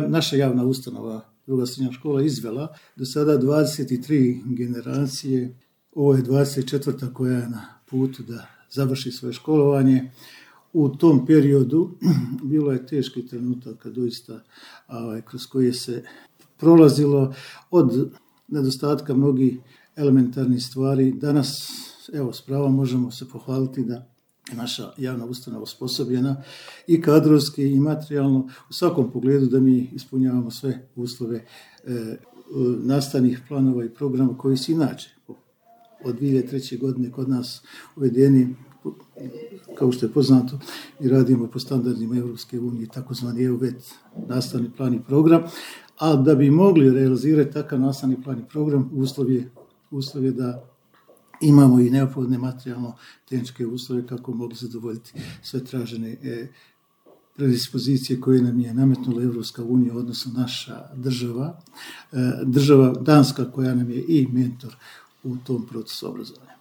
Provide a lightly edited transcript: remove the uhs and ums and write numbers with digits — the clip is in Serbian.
naša javna ustanova, druga srednja škola, izvela do sada 23 generacije. Ovo je 24. koja je na putu da završi svoje školovanje. U tom periodu bilo je teški trenutak doista kroz koje se prolazilo od nedostatka mnogih elementarnih stvari. Danas, s pravom možemo se pohvaliti da je naša javna ustanova osposobljena i kadrovski i materijalno u svakom pogledu da mi ispunjavamo sve uslove nastavnih planova i programa koji se inače od 2003. godine kod nas uvedeni, kao što je poznato, i radimo po standardima Europske unije, takozvani EUVET nastavni plan i program, a da bi mogli realizirati takav nastavni plan i program, uslov je da imamo i neophodne materijalno-tehničke uslove kako mogli zadovoljiti sve tražene predispozicije koje nam je nametnula Europska unija, odnosno naša država Danska, koja nam je i mentor u tom procesu obrazovanja.